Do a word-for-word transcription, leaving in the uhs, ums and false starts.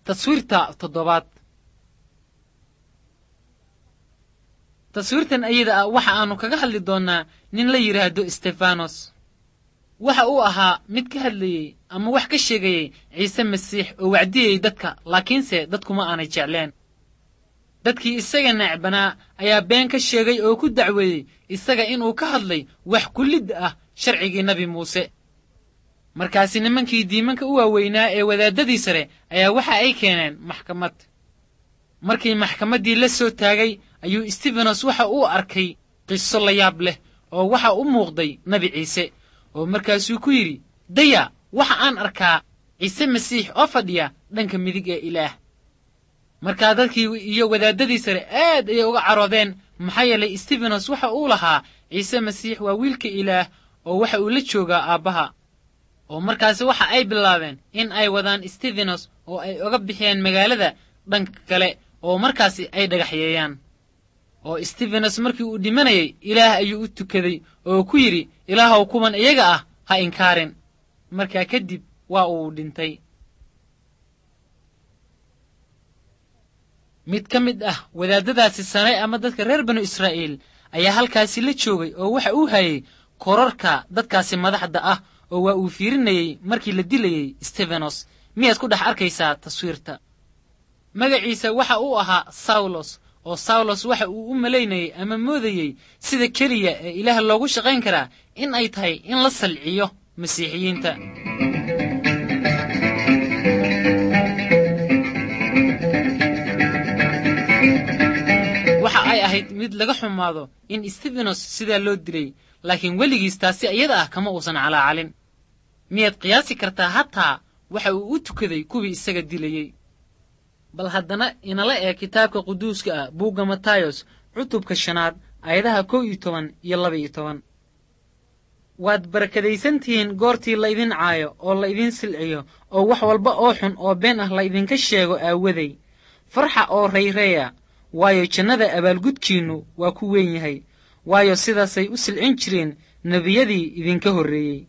Taswiirta toddobaad. Taswiirtan ayada ah waxa aanu kaga hadli doonnaa nin la yidhaahdo Stefanos. Waxa uu ahaa mid ka hadlayey ama wax ka sheegayey Ciise Masiix oo wacdiyey dadka, laakiinse dadkuma aanay jecleen. Dadkii isaga necbanaa ayaa been ka sheegay oo ku dacweeyey isaga inuu ka hadlay wax kullid ah sharcigii Nebi Muuse. Markaasi nimankii diimanka u waaweynaa ee wadaaddadii sare ayaa waxa ay keeneen maxkamad. Markii maxkamaddii la soo taagay ayuu Stefanos waxa uu arkay qiso la yaab leh oo waxa u muuqday Nebi Ciise, oo markaasuu ku yidhi, daya, waxa aan arkaa Ciise Masiix oo fadhiya dhanka midig ee Ilaah. Markaa dadkii iyo wadaaddadii sare aad ayay uga caroodeen, maxaa yeelay Stefanos waxa uu lahaa Ciise Masiix waa wiilka Ilaah oo waxa uu la joogaa aabbaha. Oo markaasi waxa ay bilaabeen in ay wadaan Stefanos oo ay uga bixiyeen magaalada dhanka kale oo markaasi ay dhagaxyeeyaan. Oo Stefanos markii uu dhimanayay Ilaah ayuu u tukaday oo ku yidhi, Ilaahow, kuwan iyaga ah ha inkaarin. Markaa kadib waa uu dhintay. Mid ka mid ah wadaaddadaasi sare ama dadka reer banu Israa'iil ayaa halkaasi la joogay oo waxa uu hayay korarka dadkaasi madaxda ah, oo waa uu fiirinayey markii la dilayey Stefanos. Miyaad ku dhex arkaysaa taswiirta? Magaciisa waxa uu ahaa Sawlos, oo Sawlos waxa uu u malaynayey ama moodayey sida keliya ee Ilaah loogu shaqayn karaa in ay tahay in la salciyo Masiixiyiinta. Waxa ay ahayd mid laga xumaado in Stefanos sidaa loo dilay, laakiin weligiis taasi iyada ah kama uusan calaacalin. Miyaad qiyaasi kartaa hataa waxa uu u tukaday kuwii isaga dilayey? Bal haddana inala eeg kitaabka quduuska ah, buugga Matayos, cutubka shanaad, aayadaha kow iyo toban iyo laba iyo toban. Waad barakadaysantihiin goortii laydin caayo oo laydin silciyo oo wax walba oo xun oo been ah laydinka sheego aawaday. Farxa oo rayreeya, waayo jannada abaalgudkiinnu waa ku weyn yahay, waayo sidaasay u silcin jireen nebiyadii idinka horreeyey.